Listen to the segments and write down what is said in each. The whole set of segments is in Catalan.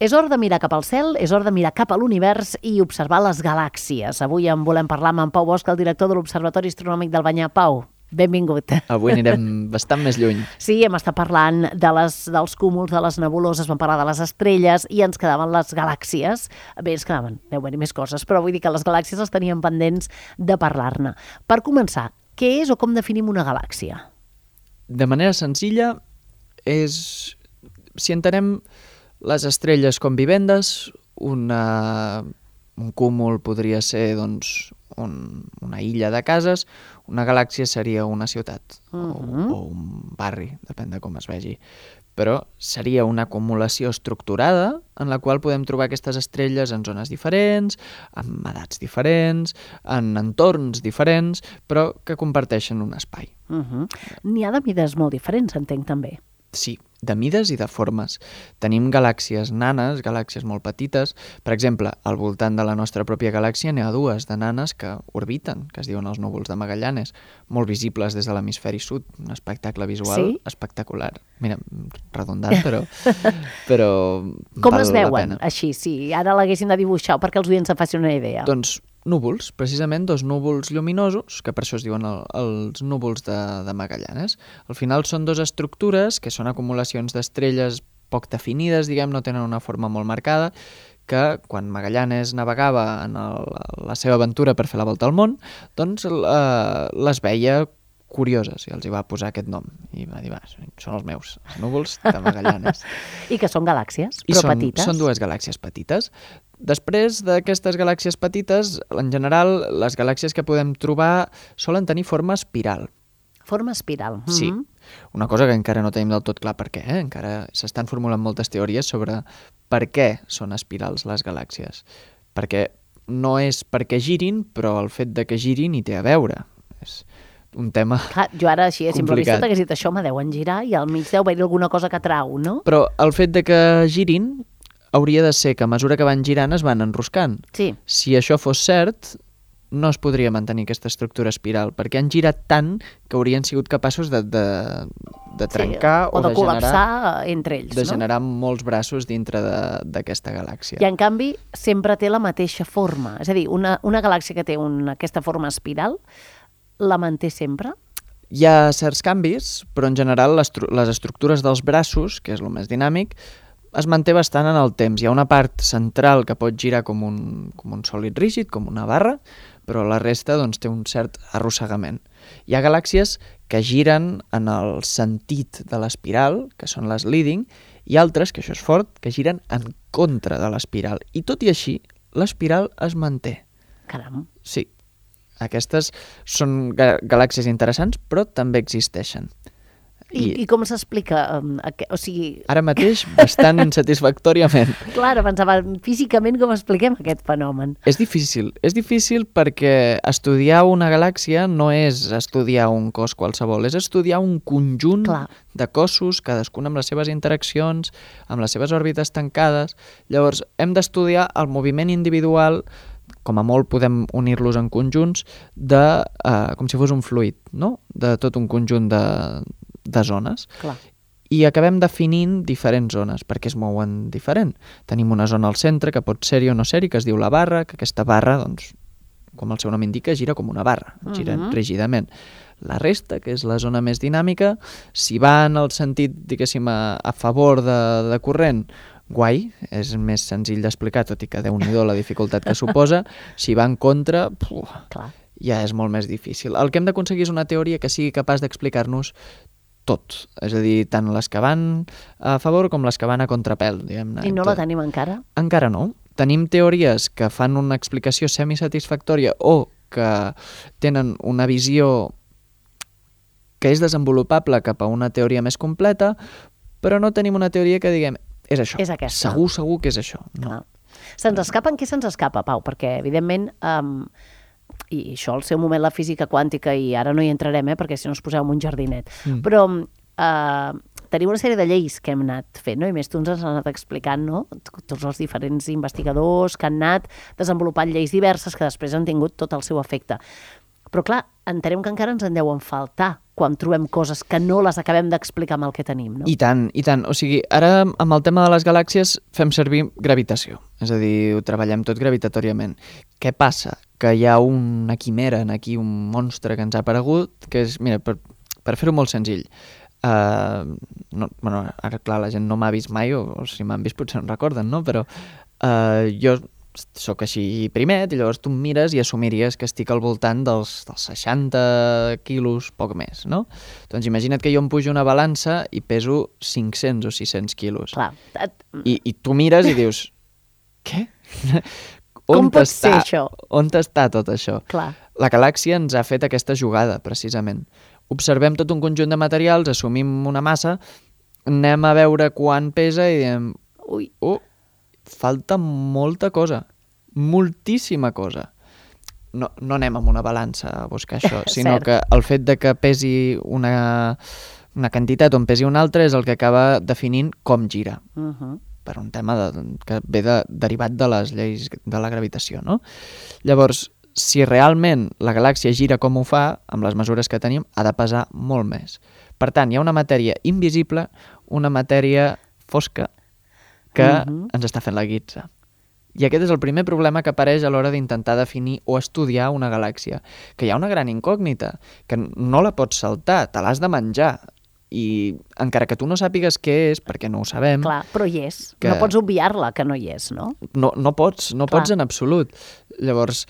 És hora de mirar cap al cel, és hora de mirar cap a l'univers i observar les galàxies. Avui en volem parlar amb en Pau Bosch, el director de l'Observatori Astronòmic del Banyar. Pau, benvingut. Avui anirem bastant més lluny. Sí, hem estat parlant dels cúmuls, de les nebuloses, vam parlar de les estrelles i ens quedaven les galàxies. Bé, ens quedaven, deu haver-hi més coses, però vull dir que les galàxies les teníem pendents de parlar-ne. Per començar, què és o com definim una galàxia? De manera senzilla, si entenem les estrelles com vivendes, un cúmul podria ser doncs, una illa de cases, una galàxia seria una ciutat o un barri, depèn de com es vegi. Però seria una acumulació estructurada en la qual podem trobar aquestes estrelles en zones diferents, amb edats diferents, en entorns diferents, però que comparteixen un espai. N'hi ha de mides molt diferents, entenc també. Sí, de mides i de formes. Tenim galàxies nanes, galàxies molt petites. Per exemple, al voltant de la nostra pròpia galàxia n'hi ha dues de nanes que orbiten, que es diuen els núvols de Magallanes, molt visibles des de l'hemisferi sud, un espectacle visual espectacular. Mira, redundant, però com val es la veuen, pena. Així, si ara l'haguessin de dibuixar, perquè els oients se'n facin una idea. Doncs núvols, precisament dos núvols lluminosos, que per això es diuen els núvols de Magallanes. Al final són dues estructures que són acumulacions d'estrelles poc definides, diguem, no tenen una forma molt marcada, que quan Magallanes navegava en la seva aventura per fer la volta al món, doncs les veia curioses i els hi va posar aquest nom. I va dir, són els meus, els núvols de Magallanes. I que són galàxies, però petites. Són dues galàxies petites. Després d'aquestes galàxies petites, en general, les galàxies que podem trobar solen tenir forma espiral. Forma espiral. Sí. Una cosa que encara no tenim del tot clar per què. Encara s'estan formulant moltes teories sobre per què són espirals les galàxies. Perquè no és perquè girin, però el fet de que girin hi té a veure. És un tema Clar, jo ara així a simple vista complicat. t'hagués dit això, me deuen girar i al mig deu haver-hi alguna cosa que trau, no? Però el fet de que girin hauria de ser que a mesura que van girant es van enroscant. Sí. Si això fos cert, no es podria mantenir aquesta estructura espiral, perquè han girat tant que haurien sigut capaços de trencar o de generar, col·lapsar entre ells, de no? generar molts braços dintre d'aquesta galàxia. I en canvi sempre té la mateixa forma. És a dir, una galàxia que té aquesta forma espiral la manté sempre? Hi ha certs canvis, però en general les estructures dels braços, que és el més dinàmic, es manté bastant en el temps. Hi ha una part central que pot girar com un sòlid rígid, com una barra, però la resta doncs, té un cert arrossegament. Hi ha galàxies que giren en el sentit de l'espiral, que són les leading, i altres, que això és fort, que giren en contra de l'espiral. I tot i així, l'espiral es manté. Caram. Sí. Aquestes són galàxies interessants, però també existeixen. I com s'explica? O sigui... Ara mateix, bastant insatisfactòriament. Clar, pensava, físicament com expliquem aquest fenomen? És difícil perquè estudiar una galàxia no és estudiar un cos qualsevol, és estudiar un conjunt de cossos, cadascun amb les seves interaccions, amb les seves òrbites tancades. Llavors, hem d'estudiar el moviment individual, com a molt podem unir-los en conjunts, com si fos un fluid, no? De tot un conjunt de zones. Clar. I acabem definint diferents zones, perquè es mouen diferent. Tenim una zona al centre que pot ser-hi o no ser-hi, que es diu la barra, que aquesta barra, doncs, com el seu nom indica, gira com una barra, gira rígidament. La resta, que és la zona més dinàmica, si va en el sentit, diguéssim, a favor de corrent, guai, és més senzill d'explicar, tot i que déu-n'hi-do la dificultat que suposa. Si va en contra, ja és molt més difícil. El que hem d'aconseguir és una teoria que sigui capaç d'explicar-nos tot, és a dir, tant les que van a favor com les que van a contrapèl, diguem-ne. I no la tenim encara? Encara no. Tenim teories que fan una explicació semisatisfactòria o que tenen una visió que és desenvolupable cap a una teoria més completa, però no tenim una teoria que diguem és això. És aquesta. Segur que és això. No. Se'ns escapa? En què se'ns escapa, Pau? Perquè, evidentment, i això al seu moment la física quàntica, i ara no hi entrarem, perquè si no us poseu en un jardinet, però tenim una sèrie de lleis que hem anat fent, no? I més tu ens has anat explicant, no? Tots els diferents investigadors que han anat desenvolupant lleis diverses que després han tingut tot el seu efecte. Però clar, entenem que encara ens en deuen faltar quan trobem coses que no les acabem d'explicar amb el que tenim, no? I tant, i tant. O sigui, ara amb el tema de les galàxies fem servir gravitació, és a dir, ho treballem tot gravitatoriament. Què passa? Que hi ha una quimera, aquí un monstre que ens ha aparegut, que és, mira, per fer-ho molt senzill, ara clar, la gent no m'ha vist mai, o si m'han vist potser no recorden, no? Però jo sóc així primet, i llavors tu em mires i assumiries que estic al voltant dels 60 quilos, poc més, no? Doncs imagina't que jo em pujo una balança i peso 500 o 600 quilos. Clar. I tu mires i dius, què? Com pot ser això? On està tot això? Clar. La galàxia ens ha fet aquesta jugada, precisament. Observem tot un conjunt de materials, assumim una massa, anem a veure quant pesa i diem, falta molta cosa, moltíssima cosa. No anem amb una balança a buscar això, sinó que el fet de que pesi una quantitat o en pesi una altra és el que acaba definint com gira, per un tema que ve derivat de les lleis de la gravitació, no? Llavors, si realment la galàxia gira com ho fa, amb les mesures que tenim, ha de pesar molt més. Per tant, hi ha una matèria invisible, una matèria fosca, que ens està fent la guitza. I aquest és el primer problema que apareix a l'hora d'intentar definir o estudiar una galàxia, que hi ha una gran incògnita, que no la pots saltar, te l'has de menjar, i encara que tu no sàpigues què és, perquè no ho sabem... Clar, però hi és. No pots obviar-la, que no hi és, no? No pots en absolut. Llavors,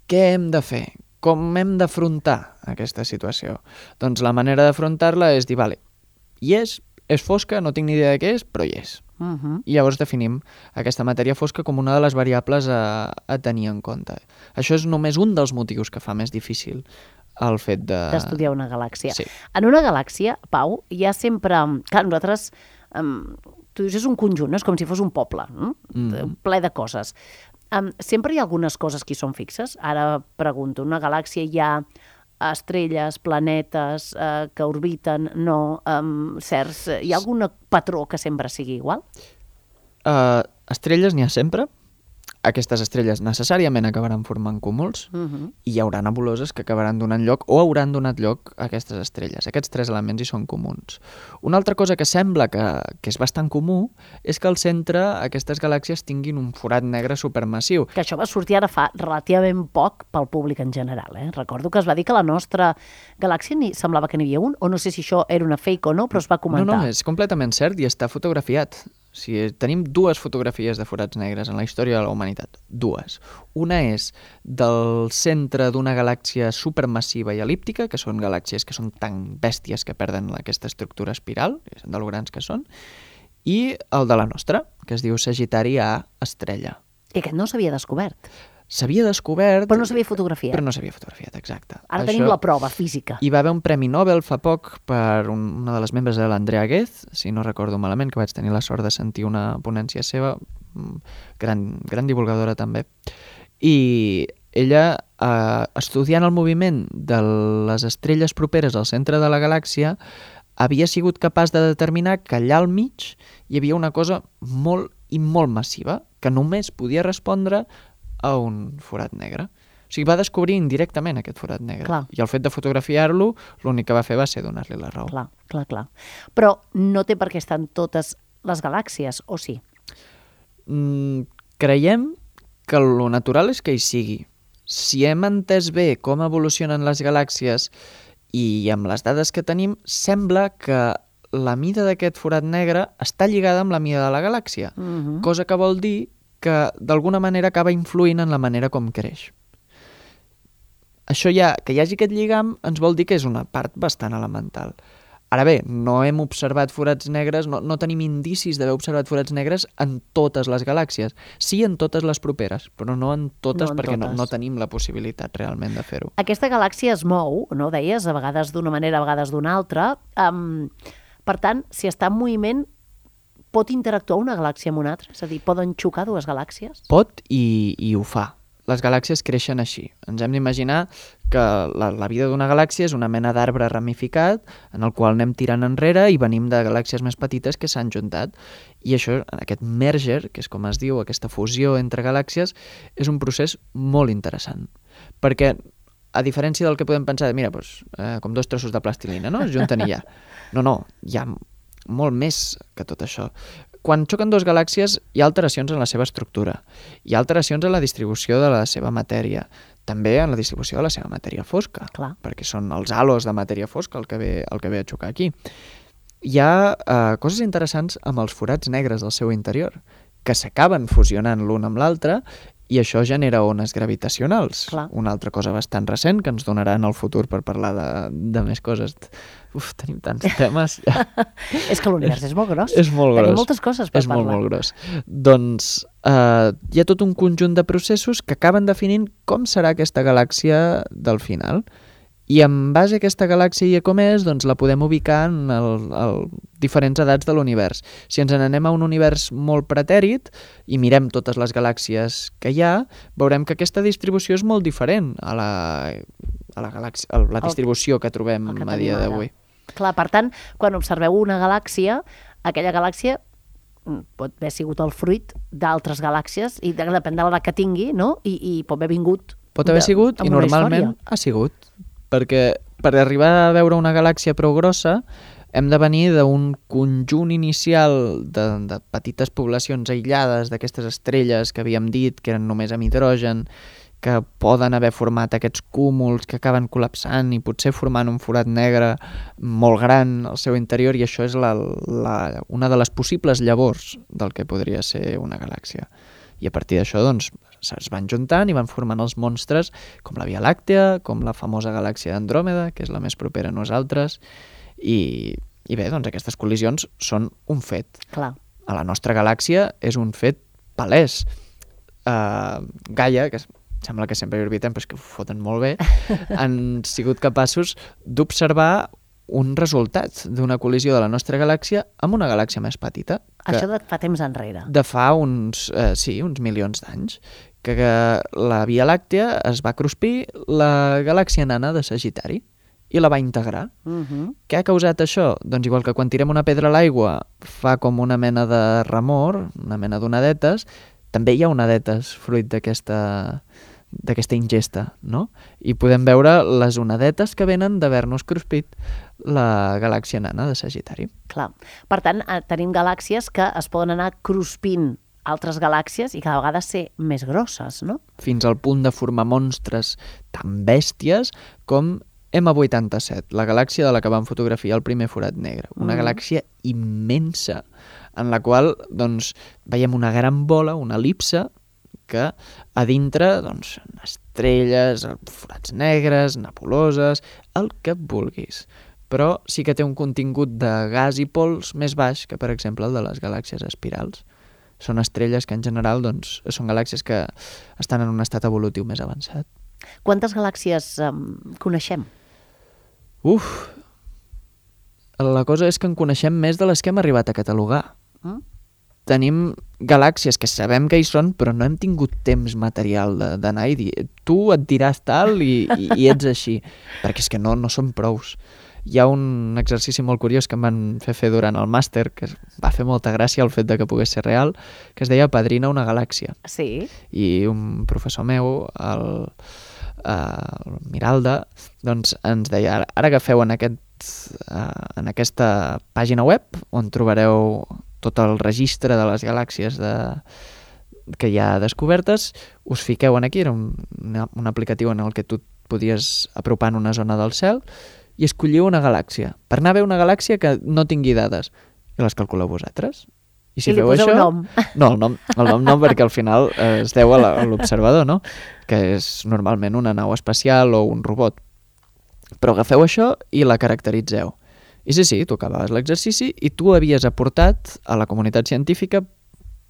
què hem de fer? Com hem d'afrontar aquesta situació? Doncs la manera d'afrontar-la és dir, vale, hi és fosca, no tinc ni idea de què és, però hi és. I llavors definim aquesta matèria fosca com una de les variables a tenir en compte. Això és només un dels motius que fa més difícil el fet d'estudiar una galàxia. Sí. En una galàxia, Pau, hi ha sempre... Clar, nosaltres... tu dius, és un conjunt, no? És com si fos un poble, ple de coses. Sempre hi ha algunes coses que hi són fixes. Ara pregunto, una galàxia hi ha estrelles, planetes que orbiten, no, certs... Hi ha algun patró que sempre sigui igual? Estrelles n'hi ha sempre. Aquestes estrelles necessàriament acabaran formant cúmuls i hi haurà nebuloses que acabaran donant lloc o hauran donat lloc a aquestes estrelles. Aquests tres elements hi són comuns. Una altra cosa que sembla que és bastant comú és que al centre aquestes galàxies tinguin un forat negre supermassiu. Que això va sortir ara fa relativament poc pel públic en general. Recordo que es va dir que la nostra galàxia semblava que n'hi havia un, o no sé si això era una fake o no, però es va comentar. No, és completament cert i està fotografiat. Tenim dues fotografies de forats negres en la història de la humanitat. Dues. Una és del centre d'una galàxia supermassiva i elíptica, que són galàxies que són tan bèsties que perden aquesta estructura espiral, de lo grans que són, i el de la nostra, que es diu Sagitari A estrella. I aquest no s'havia descobert. S'havia descobert... Però no s'havia fotografiat. Però no s'havia fotografiat, exacte. Ara tenim la prova física. Hi va haver un premi Nobel fa poc per una de les membres de l'Andrea Ghez, si no recordo malament, que vaig tenir la sort de sentir una ponència seva, gran divulgadora també. I ella, estudiant el moviment de les estrelles properes al centre de la galàxia, havia sigut capaç de determinar que allà al mig hi havia una cosa molt i molt massiva, que només podia respondre a un forat negre. O sigui, va descobrir indirectament aquest forat negre. Clar. I el fet de fotografiar-lo, l'únic que va fer va ser donar-li la raó. Clar. Però no té per què estar en totes les galàxies, o sí? Creiem que lo natural és que hi sigui. Si hem entès bé com evolucionen les galàxies i amb les dades que tenim, sembla que la mida d'aquest forat negre està lligada amb la mida de la galàxia, cosa que vol dir que d'alguna manera acaba influint en la manera com creix. Això que hi hagi aquest lligam ens vol dir que és una part bastant elemental. Ara bé, no hem observat forats negres, no tenim indicis d'haver observat forats negres en totes les galàxies. Sí en totes les properes, però no en totes perquè no tenim la possibilitat realment de fer-ho. Aquesta galàxia es mou, no deies, a vegades d'una manera, a vegades d'una altra. Per tant, si està en moviment, pot interactuar una galàxia amb una altra? És a dir, poden xocar dues galàxies? Pot i ho fa. Les galàxies creixen així. Ens hem d'imaginar que la vida d'una galàxia és una mena d'arbre ramificat en el qual anem tirant enrere i venim de galàxies més petites que s'han juntat. I això, aquest merger, que és com es diu, aquesta fusió entre galàxies, és un procés molt interessant. Perquè a diferència del que podem pensar, mira, doncs, com dos trossos de plastilina, no? Es junten i ja. No, hi ha molt més que tot això. Quan xoquen dues galàxies hi ha alteracions en la seva estructura, hi ha alteracions en la distribució de la seva matèria, també en la distribució de la seva matèria fosca, Clar. perquè són els halos de matèria fosca el que ve a xocar aquí. Hi ha coses interessants amb els forats negres del seu interior, que s'acaben fusionant l'un amb l'altre i això genera ones gravitacionals. Clar. Una altra cosa bastant recent que ens donarà en el futur per parlar de més coses. Tenim tants temes. És que l'univers és molt gros. És molt gros. Tenim moltes coses per parlar. És molt gros. Doncs hi ha tot un conjunt de processos que acaben definint com serà aquesta galàxia del final. I en base a aquesta galàxia i a com és, doncs la podem ubicar en diferents edats de l'univers. Si ens n'anem a un univers molt pretèrit i mirem totes les galàxies que hi ha, veurem que aquesta distribució és molt diferent a la distribució que trobem a dia d'avui. Clar, per tant, quan observeu una galàxia, aquella galàxia pot haver sigut el fruit d'altres galàxies i depèn de l'edat que tingui, no? I pot haver vingut... Pot haver sigut i normalment ha sigut. Perquè per arribar a veure una galàxia prou grossa hem de venir d'un conjunt inicial de petites poblacions aïllades d'aquestes estrelles que havíem dit que eren només amb hidrogen, que poden haver format aquests cúmuls que acaben col·lapsant i potser formant un forat negre molt gran al seu interior, i això és una de les possibles llavors del que podria ser una galàxia. I a partir d'això, doncs, es van juntant i van formant els monstres com la Via Làctea, com la famosa galàxia d'Andròmeda, que és la més propera a nosaltres, i bé, doncs aquestes col·lisions són un fet. Clar. A la nostra galàxia és un fet palès. Gaia, que sembla que sempre hi orbitem, però és que ho foten molt bé, han sigut capaços d'observar un resultat d'una col·lisió de la nostra galàxia amb una galàxia més petita. Això de fa temps enrere. De fa uns milions d'anys, que la Via Làctea es va cruspir la galàxia nana de Sagitari i la va integrar. Què ha causat això? Doncs igual que quan tirem una pedra a l'aigua fa com una mena de remor, una mena d'onadetes, també hi ha onadetes fruit d'aquesta ingesta, no? I podem veure les onadetes que venen d'haver-nos cruspit la galàxia nana de Sagitari. Clar. Per tant, tenim galàxies que es poden anar cruspint altres galàxies i cada vegada ser més grosses, no? Fins al punt de formar monstres tan bèsties com M87, la galàxia de la que vam fotografiar el primer forat negre. Una galàxia immensa, en la qual doncs, veiem una gran bola, una elipse, que a dintre, doncs, estrelles, forats negres, nebuloses, el que vulguis. Però sí que té un contingut de gas i pols més baix que, per exemple, el de les galàxies espirals. Són estrelles que, en general, doncs, són galàxies que estan en un estat evolutiu més avançat. Quantes galàxies coneixem? La cosa és que en coneixem més de les que hem arribat a catalogar. Tenim galàxies que sabem que hi són, però no hem tingut temps material d'anar i dir tu et diràs tal i ets així, perquè és que no són prous. Hi ha un exercici molt curiós que em van fer durant el màster, que va fer molta gràcia el fet de que pogués ser real, que es deia Padrina una galàxia. Sí. I un professor meu, el Miralda, doncs ens deia, ara agafeu en aquesta pàgina web on trobareu tot el registre de les galàxies que hi ha descobertes, us fiqueu aquí, era un aplicatiu en el que tu et podies apropar en una zona del cel i escolliu una galàxia, per anar a veure una galàxia que no tingui dades, i les calculeu vosaltres. I si li feu poseu això... nom. No, el nom no, perquè al final es deu a l'observador, no? Que és normalment una nau espacial o un robot. Però agafeu això i la caracteritzeu. I sí, tu acabaves l'exercici i tu havies aportat a la comunitat científica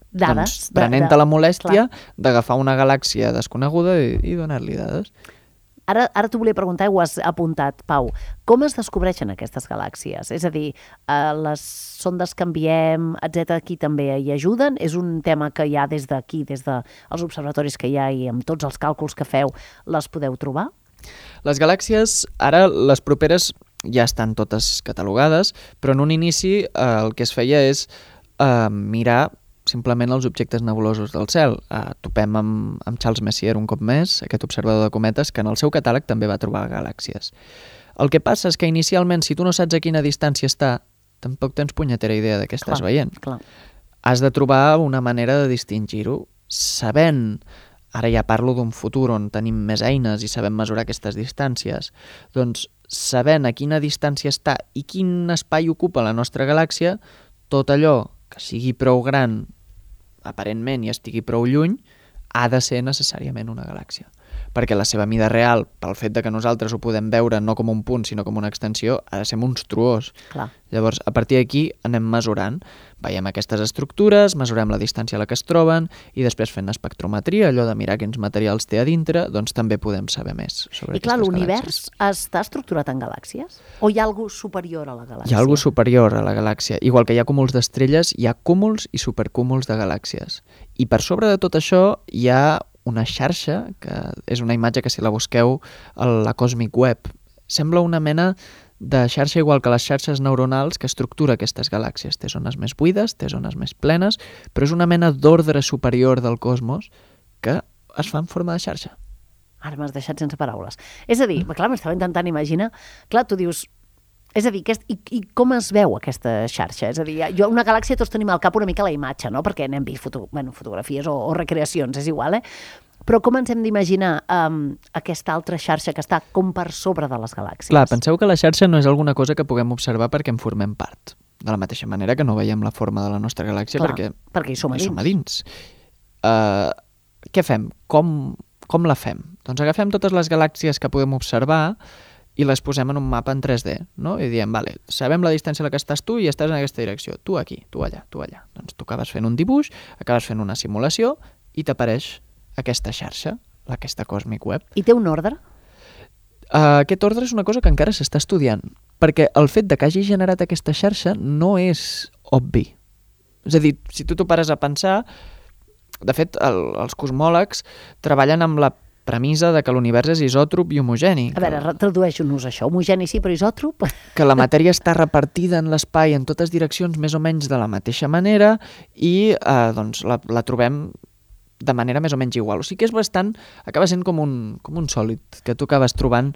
dades, prenent-te la molèstia d'agafar una galàxia desconeguda i donar-li dades. Ara t'ho volia preguntar i ho has apuntat, Pau. Com es descobreixen aquestes galàxies? És a dir, les sondes que enviem, etc., aquí també hi ajuden? És un tema que hi ha des d'aquí, des dels observatoris que hi ha i amb tots els càlculs que feu, les podeu trobar? Les galàxies, ara les properes ja estan totes catalogades, però en un inici el que es feia és mirar simplement els objectes nebulosos del cel. Topem amb Charles Messier un cop més, aquest observador de cometes, que en el seu catàleg també va trobar galàxies. El que passa és que inicialment, si tu no saps a quina distància està, tampoc tens punyetera idea de què estàs veient. Clar. Has de trobar una manera de distingir-ho, sabent, ara ja parlo d'un futur on tenim més eines i sabem mesurar aquestes distàncies, doncs sabent a quina distància està i quin espai ocupa la nostra galàxia, tot allò que sigui prou gran, aparentment, i estigui prou lluny, ha de ser necessàriament una galàxia. Perquè la seva mida real, pel fet de que nosaltres ho podem veure no com un punt, sinó com una extensió, ha de ser monstruós. Clar. Llavors, a partir d'aquí anem mesurant. Veiem aquestes estructures, mesurem la distància a la que es troben i després fent espectrometria, allò de mirar quins materials té a dintre, doncs també podem saber més sobre I clar, aquestes l'univers galàxies. està estructurat en galàxies? O hi ha alguna superior a la galàxia? Hi ha alguna superior a la galàxia. Igual que hi ha cúmuls d'estrelles, hi ha cúmuls i supercúmuls de galàxies. I per sobre de tot això hi ha una xarxa, que és una imatge que si la busqueu a la Cosmic Web, sembla una mena de xarxa igual que les xarxes neuronals que estructura aquestes galàxies. Té zones més buides, té zones més plenes, però és una mena d'ordre superior del cosmos que es fa en forma de xarxa. Ara m'has deixat sense paraules. És a dir, clar, m'estava intentant imaginar, clar, tu dius, és a dir, i com es veu aquesta xarxa? És a dir, una galàxia tots tenim al cap una mica la imatge, no? Perquè n'hem vist fotografies o recreacions, és igual, Però com ens hem d'imaginar aquesta altra xarxa que està com per sobre de les galàxies? Clar, penseu que la xarxa no és alguna cosa que puguem observar perquè en formem part. De la mateixa manera que no veiem la forma de la nostra galàxia perquè hi som a dins. Què fem? Com la fem? Doncs agafem totes les galàxies que podem observar i les posem en un mapa en 3D, no? I diem, vale, sabem la distància a la que estàs tu i estàs en aquesta direcció. Tu aquí, tu allà, tu allà. Doncs tu acabes fent un dibuix, acabes fent una simulació i t'apareix aquesta xarxa, aquesta Cosmic Web. I té un ordre? Aquest ordre és una cosa que encara s'està estudiant, perquè el fet de que hagi generat aquesta xarxa no és obvi. És a dir, si tu t'ho pares a pensar, de fet, els cosmòlegs treballen amb la premissa de que l'univers és isòtrop i homogeni. A veure, tradueix-nos això. Homogeni sí, però isòtrop? Que la matèria està repartida en l'espai en totes direccions més o menys de la mateixa manera i doncs la trobem de manera més o menys igual. O sigui que és bastant... acaba sent com un sòlid, que tu acabes trobant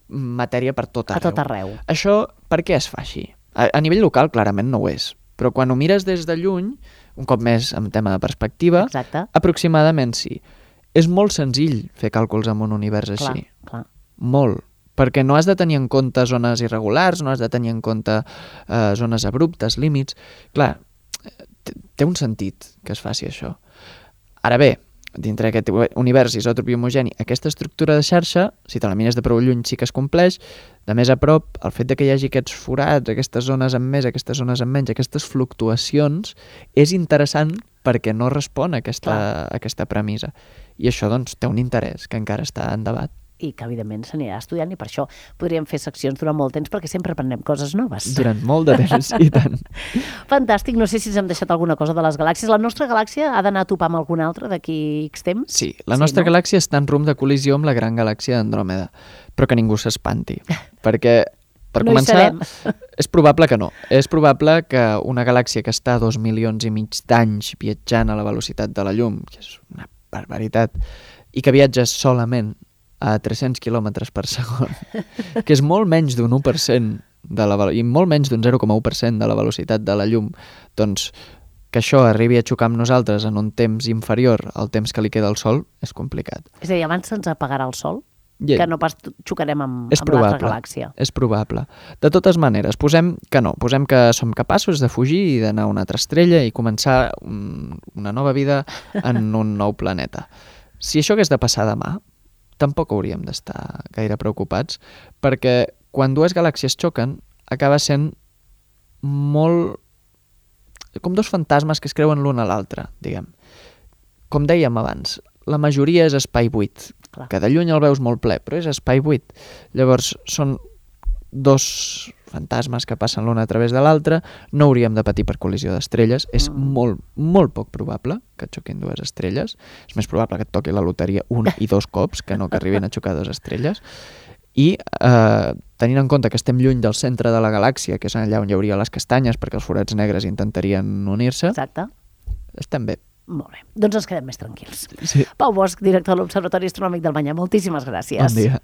matèria per tot arreu. A tot arreu. Això per què es fa així? A nivell local clarament no ho és, però quan ho mires des de lluny, un cop més en tema de perspectiva, exacte, aproximadament sí. És molt senzill fer càlculs amb un univers així. Clar. Molt. Perquè no has de tenir en compte zones irregulars, no has de tenir en compte zones abruptes, límits. Clar, té un sentit que es faci això. Ara bé, dintre d'aquest univers isòtrop i homogeni, aquesta estructura de xarxa, si te la mires de prou lluny sí que es compleix, de més a prop, el fet de que hi hagi aquests forats, aquestes zones amb més, aquestes zones amb menys, aquestes fluctuacions, és interessant perquè no respon a aquesta premissa. I això, doncs, té un interès que encara està en debat. I que, evidentment, s'anirà estudiant i per això podríem fer seccions durant molt temps perquè sempre aprenem coses noves. Durant molt de temps, i tant. Fantàstic, no sé si ens hem deixat alguna cosa de les galàxies. La nostra galàxia ha d'anar a topar amb alguna altra d'aquí X temps? Sí, la nostra galàxia està en rumb de col·lisió amb la gran galàxia d'Andròmeda, però que ningú s'espanti, perquè per començar, és probable que no. És probable que una galàxia que està a 2,5 milions d'anys viatjant a la velocitat de la llum, que és una barbaritat, i que viatja solament a 300 km per segon, que és molt menys d'un 1% i molt menys d'un 0,1% de la velocitat de la llum, doncs que això arribi a xocar amb nosaltres en un temps inferior al temps que li queda al Sol és complicat. És a dir, abans se'ns apagarà el Sol, que no pas xocarem amb l'altra galàxia. És probable. De totes maneres, posem que som capaços de fugir i d'anar a una altra estrella i començar una nova vida en un nou planeta. Si això hagués de passar demà, tampoc hauríem d'estar gaire preocupats, perquè quan dues galàxies xoquen, acaba sent molt... com dos fantasmes que es creuen l'un a l'altre, diguem. Com dèiem abans, la majoria és espai buit, que de lluny el veus molt ple, però és espai buit. Llavors, són dos fantasmes que passen l'un a través de l'altre, no hauríem de patir per col·lisió d'estrelles, és molt, molt poc probable que et xoquin dues estrelles, és més probable que et toqui la loteria un i dos cops, que no que arribin a xocar dues estrelles, i tenint en compte que estem lluny del centre de la galàxia, que és allà on hi hauria les castanyes, perquè els forats negres intentarien unir-se, exacte, estem bé. Molt bé, doncs ens quedem més tranquils. Sí. Pau Bosch, director de l'Observatori Astronòmic del Manyà, moltíssimes gràcies. Bon dia.